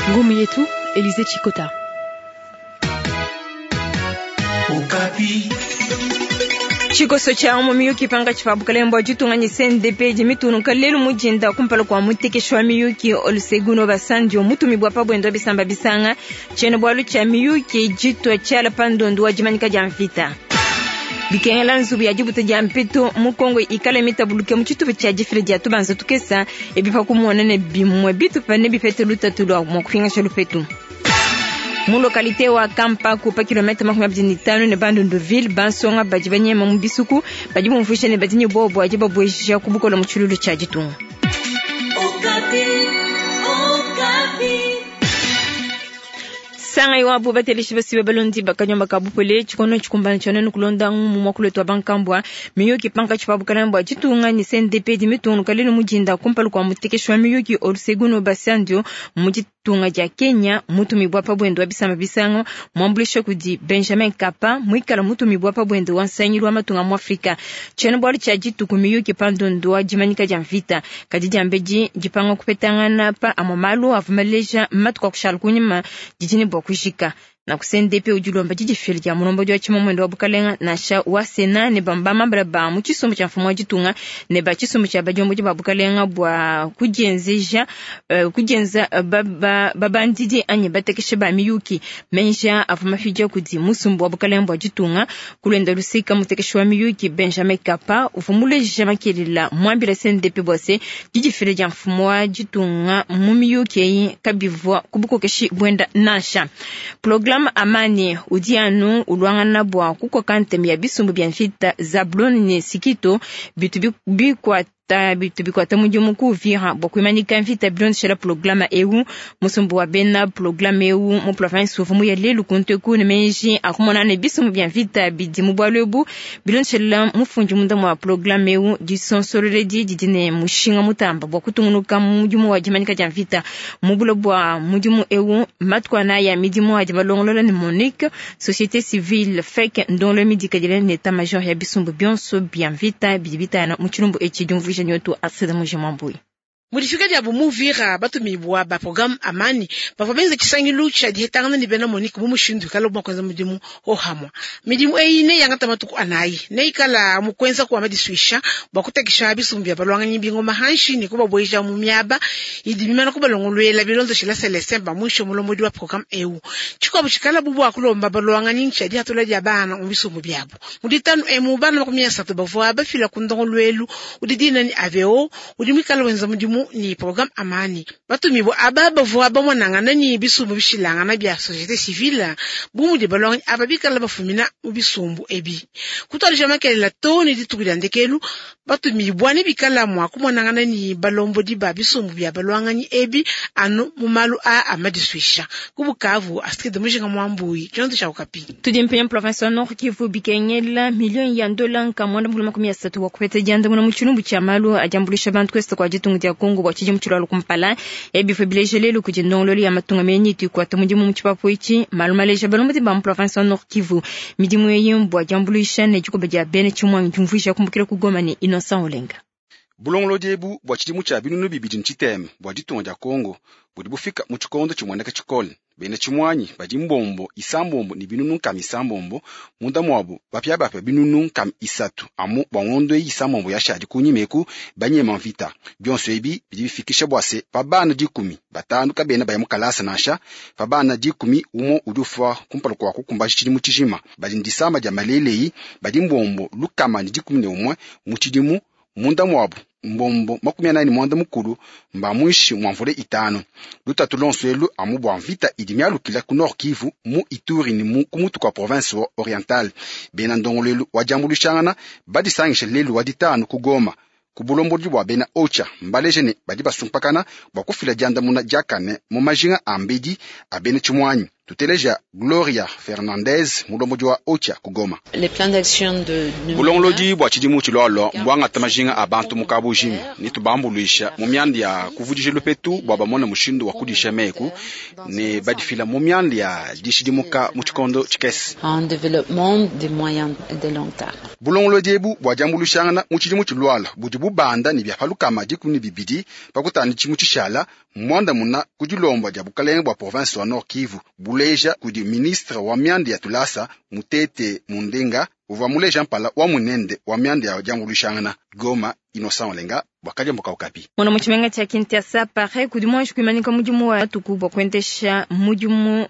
Ngumu yetu Elize Chikota. Okapi. Tshikoso tshia mu miyuki pankatshi pa bukalenge bua ditunga ne CNDP idi mitungunuka lelu mu dinda kumpala kua mutekeshi wa miyuki Olusegun Obasanjo mutumibua pa buenda wa bisamba bisanga. Tshiena-bualu tshia miyuki ditua tshiala pa ndondu wa dimanyika dia mvita. Bikengela nzubu ya dibuta dia mpetu mu Kongo ikale mitabuluke mu tshitupa tshia difila dia tubanza tukesa ebi pa kumona ne bimue bitupa nebipete lutatu lua mua kupingasha lupetu. Mu lokalite wa Kampaku pa kilomètre 25 ne Bandundu-ville, bansonga badi banyema mu bisuku badi bumvuija ne badi ne buowa bua dibabueja ku bukole mu tshilulu tshia ditunga. Sangai wabu bateleshi basibe balondi bakanyoma ka bupole tshikono tshikumbana tshia nenu kulonda mu muakulu wetu wa bankambua miyuki pankatshi pa bukalenge bua ditunga ne CNDP di mitungunuka lelu mu dinda kumpala kua mutekeshi wa miyuki Olusegun Obasanjo mu ditunga dia Kenya mutumibua pa buende wa bisamba bisanga muambuluisha kudi Benjamin Kapa muikala mutumibua pa buende wa nsangilu wa matunga mu Afrika. Tshiena-bualu tshia dituku miyuki pa ndondu wa dimanyika dia mvita kadi diambedi dipanga kupetangana pa amue malu avua maleja matuku a kushala kunyima didi ne bua kujika. Na ku CNDP udi ulomba didifila dia mulombodi wa tshimamuende wa bukalenga nansha wa Sena ne bamambala ba mu tshisumbu tshia mfumu wa ditunga ne ba tshisumbu tshia badiombodi ba bukalenga bua kudienzeja kudienza babandidi anyi batekeshe ba miyuki menja avua mafidia kudi musumbu wa bukalenga bua ditunga. Kulenda luseka mutekeshi wa miyuki Benjamin Kapa uvua muleja makelela muambila CNDP bua se didifila dia mfumu wa ditunga mu miyuki eyi kabivua ku bukokeshi buenda nansha. Programme Amani udi anu ulwangana bua kukoka ntema ya bisumbu bia mvita Zablon ne Sikito bitu bikuata bitu bikuata mudimu ku Uvira bua kuimanyika mvita bilondeshela programa eu. Musumbu wa bena programa eu mu province uvua muya lelu kuntu ne meji akumona ne bisumbu bia mvita bidi mu bualu ebu bilondeshela mufundi munda mua programa eu. Disonsololedi didi ne mushinga mutamba bua kutungunuka mu mudimu wa dimanyika dia mvita mu bulo bua mudimu eu. Matuku anayi ya midimu adi malongolola ne MONUC, société civile FEC ndongolo midikadile ne état major ya bisumbu bionso bia mvita bidi bitana mu tshilumbu etshi. Diumvuija nyotu Alfred Mujimwambui. Mu difika diabu mu Uvira batumibua ba programme Amani bavua benza tshisangilu tshia dihetangana ne bena MONUC mu mushindu ikala mua kuenza mudimu hohamua. Midimu eyi neyangata matuku anayi neikala mu kuenza kua madisuisha bua kutekesha bisumbu bia balwanganyi bingoma hanshi ne kubabueja mu miaba idi mimana kubalongoluela bilondeshela Celestin Bamwisho mulombodi wa programme eu. Tshikuabu tshikala bu bua kulomba balwanganyi tshia dihatula dia bana mu bisumbu biabu. Mu ditanu emu bana 30 bavua bafila ku ndongoluelu udi dina ni AVO udi muikala wenza mudimu ni programme Amani. Batumibua aba bavua bamonangana ni bisumbu bishilangana bia société civile bu mudi balwanganyi aba bikala bafumina mu bisumbu ebi. Kutuadija makelela too ne dituku dia ndekelu batumibua ne bikala mua kumonangana ni balombodi ba bisumbu bia balwanganyi ebi anu mu malu a amadisuisha. Ku Bukavu, Astrid Mujinga Mwambui, tshiondo tshia Okapi. Tudi mpenya province wa Nord Kivu bikengela milioni ya dola nka 130 wa kupeta diandamuna mu tshilumbu tshia malu adiambulisha bantu kwesta kwa ditunga dia Kongo bua tshidimu tshilua kumpala. Ebi bileja lelu kudi ndongololo ya matunga menyi itukuata mudimu mu tshipapu etshi malu maleja balombodi ba mu province wa Nord Kivu. Midimu eyi mbua diambuluisha ne dikoba dia bena tshimuangi diumvuija kumbukila ku Goma ne Innocent Olenga. Bulongolodi ebu bua tshidimu tshia 2006 bua ditunga dia Kongo budi bufika mu tshikondo tshimueneka tshikole. Bena tshimuanyi badi mbombo 6 ne 600 munda muabu bapiabapia 300 amu bua ngondo eyi 6 yashadi kunyima eku banyema mvita. Bionso ebi bidi bifikisha bua se pa bana 15 kabena baya mu kalasa nansha pa bana 10 umue udi ufua kumpala kua kukumbaja tshidimu tshijima. Badi ne disama dia maleleyi badi mbombo 111 mu tshidimu munda muabu mbombo 45 mba mwishi mwa mvula 5. Lutatu lonso elu amu bua mvita idi mialukila ku Nord Kivu mu Ituri ni mu kumutu kwa province wa Oriental. Bena ndongolelu wa diambuluishangana badisangisha lelu wa ditanu ku Goma ku bulombodi bua bena Ocha mbaleje ne badi basumpakana bua kufila diandamuna diakane mu majinga a mbedi a bena tshimuanyi. Tuteleja Gloria Fernandez, mulombodi wa OCHA ku Goma. Bulongolodi bua tshidimu tshilualua mbuangata majinga a bantu mu kabujima ne tubambuluisha mu mianda ya kuvudija lupetu bua bamone mushindu wa kudisha meku ne badifila mu mianda ya dishidimuka mu tshikondo tshikese. Bulongolodi ebu bua diambuluishangana mu tshidimu tshilualua budi bubanda ne bia pa lukama 12 pa kutanda tshidimu tshishala muandamuna ku dilomba dia bukalenge bua province wa Nord Kivu buleja kudi ministre wa mianda ya tulasa Mutete Mundenga uvua muleja mpala wa munende wa mianda ya diambuluishangana. Goma, Innocent Olenga bua Kadiombo ka Okapi. Mona mu tshimenga tshia Kinshasa pare kudi muanji kuimanyika mudimu wa matuku bua kuendesha mudimu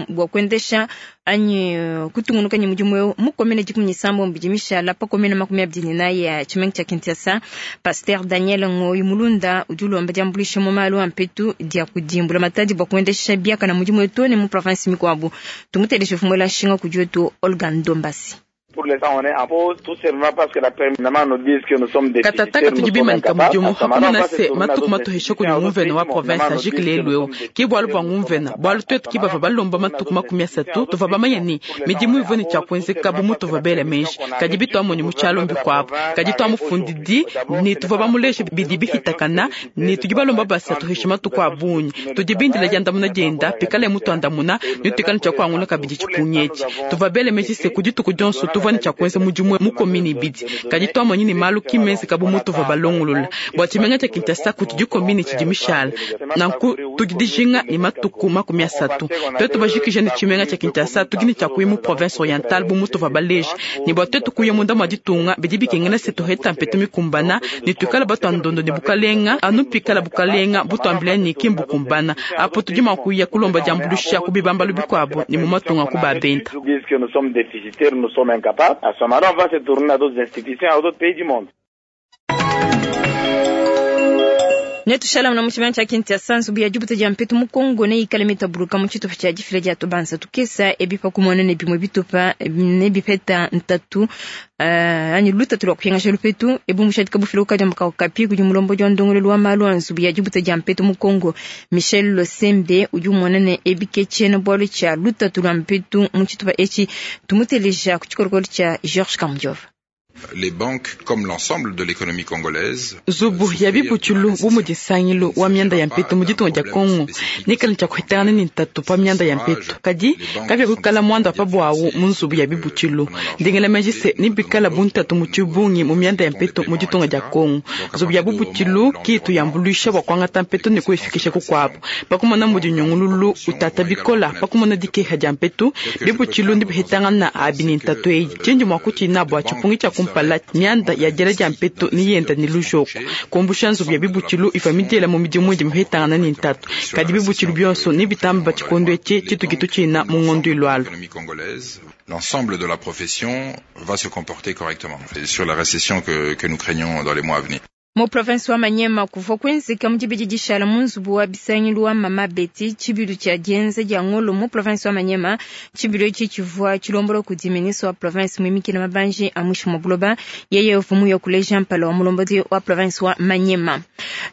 bua kuendesha anyi kutungunuka ne mudimu eu mu komine 17 bidi mishala pa komine 24 ya tshimenga tshia Kinshasa. Pasteur Daniel Ngoyi Mulunda udi ulomba diambuluisha mu malu a mpetu dia kudimbula matadi bua kuendesha biakana mudimu eu ne mu province mikuabu. Tumuteleje mfumuela nshinga kudi wetu Olga Ndombasi. Pour l'instant, on est en pause, tout simplement parce que la permanence nous dit que nous sommes déficitaires. Katata tudi bimanika mudimu hakumona se matuku matuhesha kudi nguvena wa province ajiki lelu eu ke bualu bua nguvena bualu tuetu ki bavua balomba matuku 30 tuvua bamanya ne midimu ivua ne tshia kuenzeka bu mutuvua bela meji kadi bituamonyi mu tshialo mbikuabu kadi tuamufundidi ne tuvua bamuleje bidi bihitakana ne tudi balomba basa tuhesha matuku a bungi tudi bindila diandamuna dienda pikale mutuandamuna ne tuikale tshia kuangula kabidi tshipungi etshi tuvua bela meji se ku dituku dionso tuvua ne tshia kuenza mudimu mu komini ibidi kadi tuamonyi ne malu kimenzeka bu mutuvua balongolola bua tshimenga tshia Kinshasa kutudi komini tshidi mishala nanku tudi dijinga ne matuku 30 tuetu bajikije ne tshimenga tshia Kinshasa tudi ne tshia kuya mu province orientale bu mutuvua baleje ne bua tuetu kuya munda mua ditunga bidi bikengela se tuheta mpetu mikumbana ne tuikala batuandondo ne bukalenga anu pikala bukalenga butuambila ne kimbukumbana apo tudi mua kuya kulomba diambuluisha ku bibambalu bikuabu ne mu matunga ku babenda. À ce moment-là, on va se tourner à d'autres institutions, à d'autres pays du monde. Netushala mna mutshimenga tshia Kinshasa nzubu ya dibuta dia mpetu mu Kongo ne ikale mitabuluka mu tshitupa tshia difila dia tubanza tukesa ebi pa kumona ne bimue bitupa ne bipeta ntatu anyi lutatu lua kuhengasha lupetu ebu mushadika bufila ukadiamba ka Okapi kudi mulombodi wa ndongoluelu wa malu a nzubu ya dibuta dia mpetu mu Kongo Michel Losembe udi umona ne ebi ke tshiena bualu tshia lutatu lua mpetu mu tshitupa etshi tumuteleja ku tshikolokolo tshia Georges Kamujova. Les banques, comme l'ensemble de l'économie congolaise, nzubu ya bibutshulu bu mudi nsangilu wa mianda ya mpetu mu ditunga dia Kongo nikala tshia kuhetangana ne ntatu pa mianda ya mpetu kadi kabiakuikala muanda pa buawu mu nzubu ya bibutshulu ndengela meji se nibikala bu ntatu mu tshibungi mu mianda ya mpetu mu ditunga dia Kongo nzubu ya bubutshulu kitu yambuluisha bua kuangata mpetu ne kuifikisha kukuabu pakumona mudi nyungululu utata bikola pakumona dikeha dia mpetu bibutshulu ndibihetangana abi ne ntatu eyi tshindi mua kutshina bua tshipungi tshia kumpala mianda ya diela dia mpetu ni yenda ni lujoko kumbusha nzubu ya bibutshulu iva midiela mu midimu idi mihetangana ne ntatu kadi bibutshulu bionso ni bitamba tshikondo etshi tshituki tutshina mu ngondo ilualu. L'ensemble de la profession va se comporter correctement et sur la récession que nous craignons dans les mois à venir. Mu province wa Maniema kuvua kuenzeka mu dibidi dishala mu nzubu wa bisangilu wa Mama Betty tshibilu tshia dienza dia ngolo mu province wa Maniema tshibilu etshi tshivua tshilombola kudi ministre wa province muimikila mabanji a mwishi mwa buloba yeye uvumu ya kuleja mpala wa mulombodi wa province wa Maniema.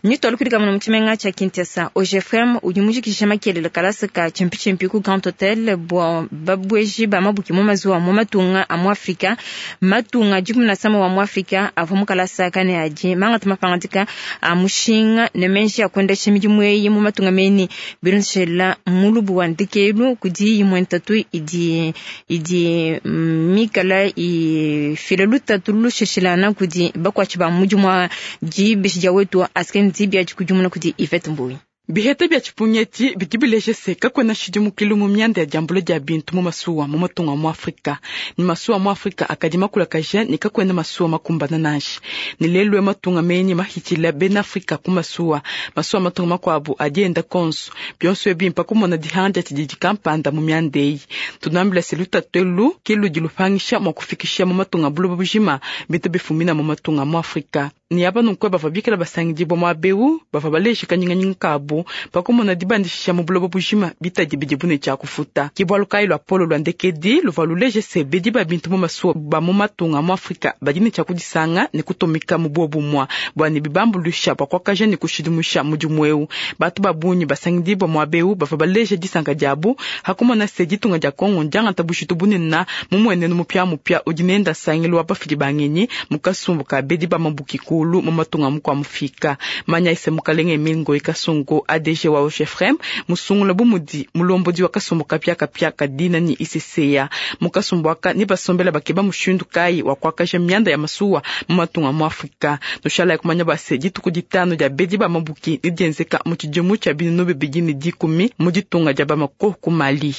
Nitwalukilika muno mu tshimenga tshia Kinshasa OGFM udi mujikijisha makelele kalasa ka tshimpi ku Grand Hotel bua babweji ba mabuki mu mazuwa mu matunga a mu Afrika matunga 17 wa mu Afrika avua mu kalasa kane adi mangata mapangadika a mushinga ne menji a kuendesha midimu eyi mu matunga meni bilonshela mulubu wa ndekelu kudi imue ntatu idi mikala ifila lutatu lusheshilana kudi bakuatshi ba mudimu wa dibeshi dia wetu asken dibia dikudimuna kudi Yvette Mbuyi. Biheta bia tshipunyeti bidi bileje se kakuena tshidimukilu mu mianda ya diambula dia bintu mu masuwa mu matunga mu Afrika ni masuwa mu Afrika akadi makulakaja ne kakuena masuwa makumbana nansha ne lelu matunga menyi mahitshila bena Afrika ku masuwa masuwa matunga makuabu adi enda konso bionso ebi mpakumona dihanga tshididi kampanda mu mianda eyi tunambila se lutatu elu ke ludi lupangisha mua kufikisha mu matunga buloba bujima bintu bifumina mu matunga mu Afrika. Ne aba nunku bavua bikala basangidibua muaba eu bavua baleja kanyinganyinga kabu pa kumona dibandishisha mu buloba bujima bitadi bidibu ne tshia kufuta. Ke bualu kayi luapolo lua ndekedi luvua luleje se bedi ba bintu mu masuwa ba mu matunga a mu Afrika badi ne tshia kudisanga ne kutumika mu buobumue bua ne bibambuluisha bua kuakaja ne kushidimusha mudimu eu. Bantu ba bungi basangidibua muaba eu bavua baleja disanka diabu ha kumona se ditunga dia Kongo ndiangata bujitu bunene mu muenenu mupiamupia udi nenda nsangilu wa bafidi ba ngenyi mu kasumbu ka bedi ba mabuki kulu mu matunga mukua mufika. Manya ise mukalenge Emile Ngoyi Kasongo ADG wa OGEFREM musungula bu mudi mulombodi wa kasumbu kapiakapia ka dina ni ICCA. Mu kasumbu aka ne basombela bakeba mushindu kayi wa kuakaja mianda ya masuwa mu matunga mu Afrika. Nushalayi kumanya bua se dituku ditanu dia bedi ba mabuki ne dienzeka mu tshidimu tshia 2010 mu ditunga dia Bamako ku Mali.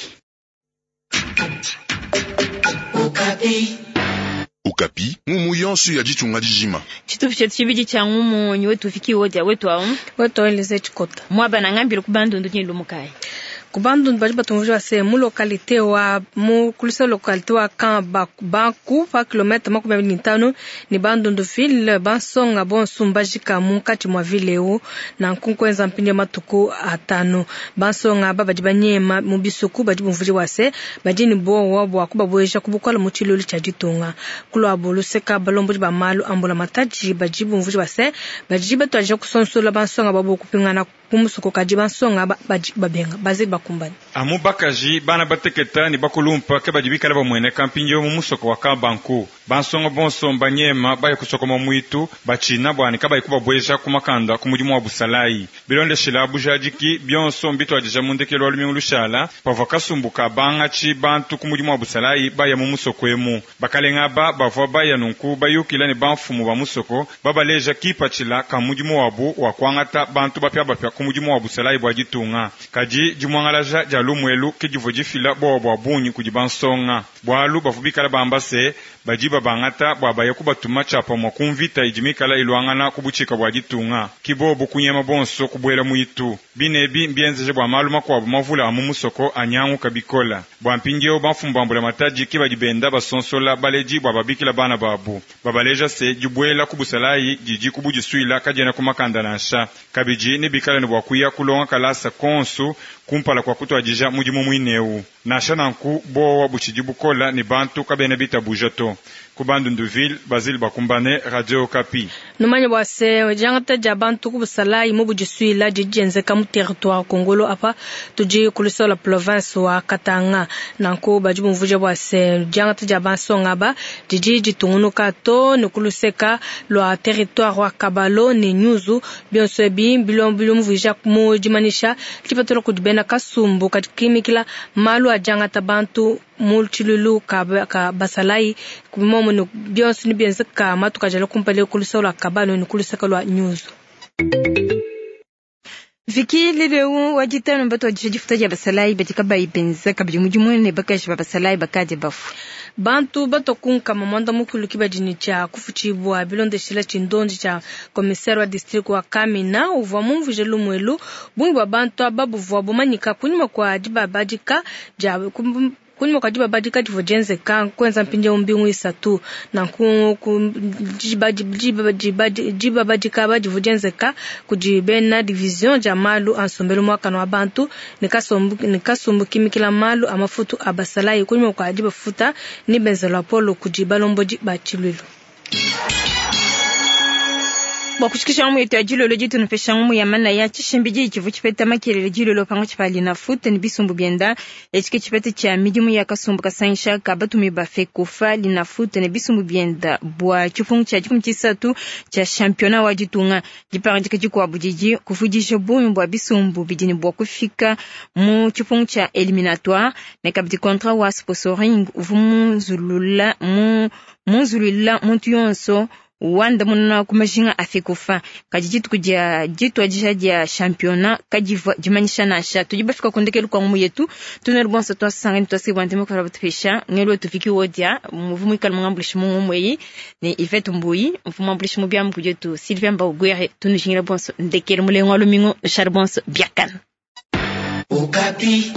Okapi, ngumu yonso ya ditunga dijima. Tshitupa tshietu tshibidi tshia ngumu nyi wetu fiki wodia wetu awu. Wetu Elize Tshikota. Mwaba na ngambile ku Bandundu nyi lumukai. Ku Bandundu badi batumvua bua se mu localité wa mu kulisa localité wa Camp Banku pa kilomètre 25 ni Bandundu ville bansonga bonso mbajika munkatshi mua ville eu nanku nkuenza mpindieu matuku atanu. Bansonga aba badi banyema mu bisuku badi bumvuija bua se badi ne buowa bua kubabueja ku bukole mu tshilulu tshia ditunga. Kuluabu luseka balombodi ba malu a mbulamatadi badi bumvuija bua se badi batuadija kusonsola bansonga babo kupingana ku musoko kadi bansonga badi babenga baze bakumbane. Amu bakaji bana bateketa ne bakulumpa ke badi bikala bamueneka mpindieu mu musoko wa Kabanku. Bansonga bonso mbanyema baya kusokoma muitu batshina bua ne kabayi kubabueja ku makanda ku mudimu wa busalayi. Bilondeshila bujadiki bionso mbituadija mu ndekelu wa lumingu lushala pavua kasumbu ka bangatshi bantu ku mudimu wa busalayi baya mu musoko emu. Bakalenga aba bavua baya nunku bayukila ne bamfumu ba musoko babaleja kipatshila ka mudimu wabu wa kuangata bantu bapiabapia ku mudimu wa busalayi bua ditunga. Kadi dimuangalaja dia lumuelu ke divua difila bowa bua bungi kudi bansonga. Bualu bavua bikala bamba se badi babangata bua baya kubatuma tshiapamue ku mvita idi mikala iluangana ku butshika bua ditunga. Ke bobu kunyema bonso kubuela muitu. Binebi mbienzeje bua malu makuabu mavula a mu musoko anyanguka bikola. Bua mpindieu bamfumu ba mbulamatadi ke badi benda basonsola baledi bua babikila bana babu. Babaleja se dibuela ku busalayi didi ku budisuila kadiena ku makanda nansha. Kabidi ne bikala ne bua kuya kulonga kalasa konsu kumpala kua kutuadija mudimu muineu. Nansha nanku bowa butshidi bukola ne bantu kabena bitabuja to. Ku Bandunduville, Basile Bakumbane, Radio Okapi. Numanye bua se diangata dia bantu ku busalayi mu budisuila didi dienzeka mu territoire Kongolo apa tudi ku luseke lua province wa Katanga. Nanku badi bumvuija bua se diangata dia bansonga aba didi ditungunuka to ne ku luseka lua territoire wa Kabalo ne Nyuzu. Bionso ebi bilumvuija mu dimanyisha dipatula kudi bena kasumbu kadi kimikila malu a diangata bantu mu tshilulu ka basalayi momo ne bionso ne bienzeka matuku ajala kumpala ku luseke lua Kabalo ne ku luseke lua Nyuzu. Viki leleu wa ditanu batuadija difuta dia basalayi badi kabayi benza kabidi mudimu ne bakaji ba basalayi bakadi bafue. Bantu batokunkama mwanda mukulu ke badi ne tshia kufutshibua bilondeshila tshindondi tshia commissaire wa district wa Kamina uvua mumvuije lumuelu bungi bua bantu aba buvua bumanyika kunyima kua dibabadika dia kunyima kua dibabadika divua dienzeka kuenza mpindieu mbingu isatu. Nanku dibabadika aba divua dienzeka kudi bena division dia malu a nsombelu muakane wa bantu ne kasumbu kimikila malu a mafutu a basalayi kunyima kua dibafuta ne benza luapolo kudi balombodi ba tshiluilu. Bua kushikisha ngumu yetu ya dilolo ditu nupesha ngumu ya manaya tshishimbidi tshivu tshipeta makelele dilolo panga tshipali na foot ne bisumbu bienda etshike tshipete tshia midimu ya kasumbu kasangisha ka batumi ba FECOFA lina foot ne bisumbu bienda bua tshipungu tshia 13 tshia championnat wa ditunga. Dipangadika dikuabu didi kuvudija bungi bua bisumbu bidi ne bua kufika mu tshipungu tshia éliminatoire ne kabidi contrat wa sponsoring uvua munzulula muntu yonso wanda munana ku majinga a FECOFA. Kadi dituku dia dituadija dia championnat kadivua dimanyisha nansha. Tudi bafika ku ndekelu kua ngumu yetu tunelu bonso twasangani twasibwa ntema kala batupesha ngelo tufiki wodia muvu mwikala mungambulishi mu ngumu eyi ne Yvette Mbuyi mvu mwambulishi mu biamu kudietu Sylvain Mbauguere tunujingila bonso ndekelu mulengo wa lumingu Charles bonso biakana. Okapi.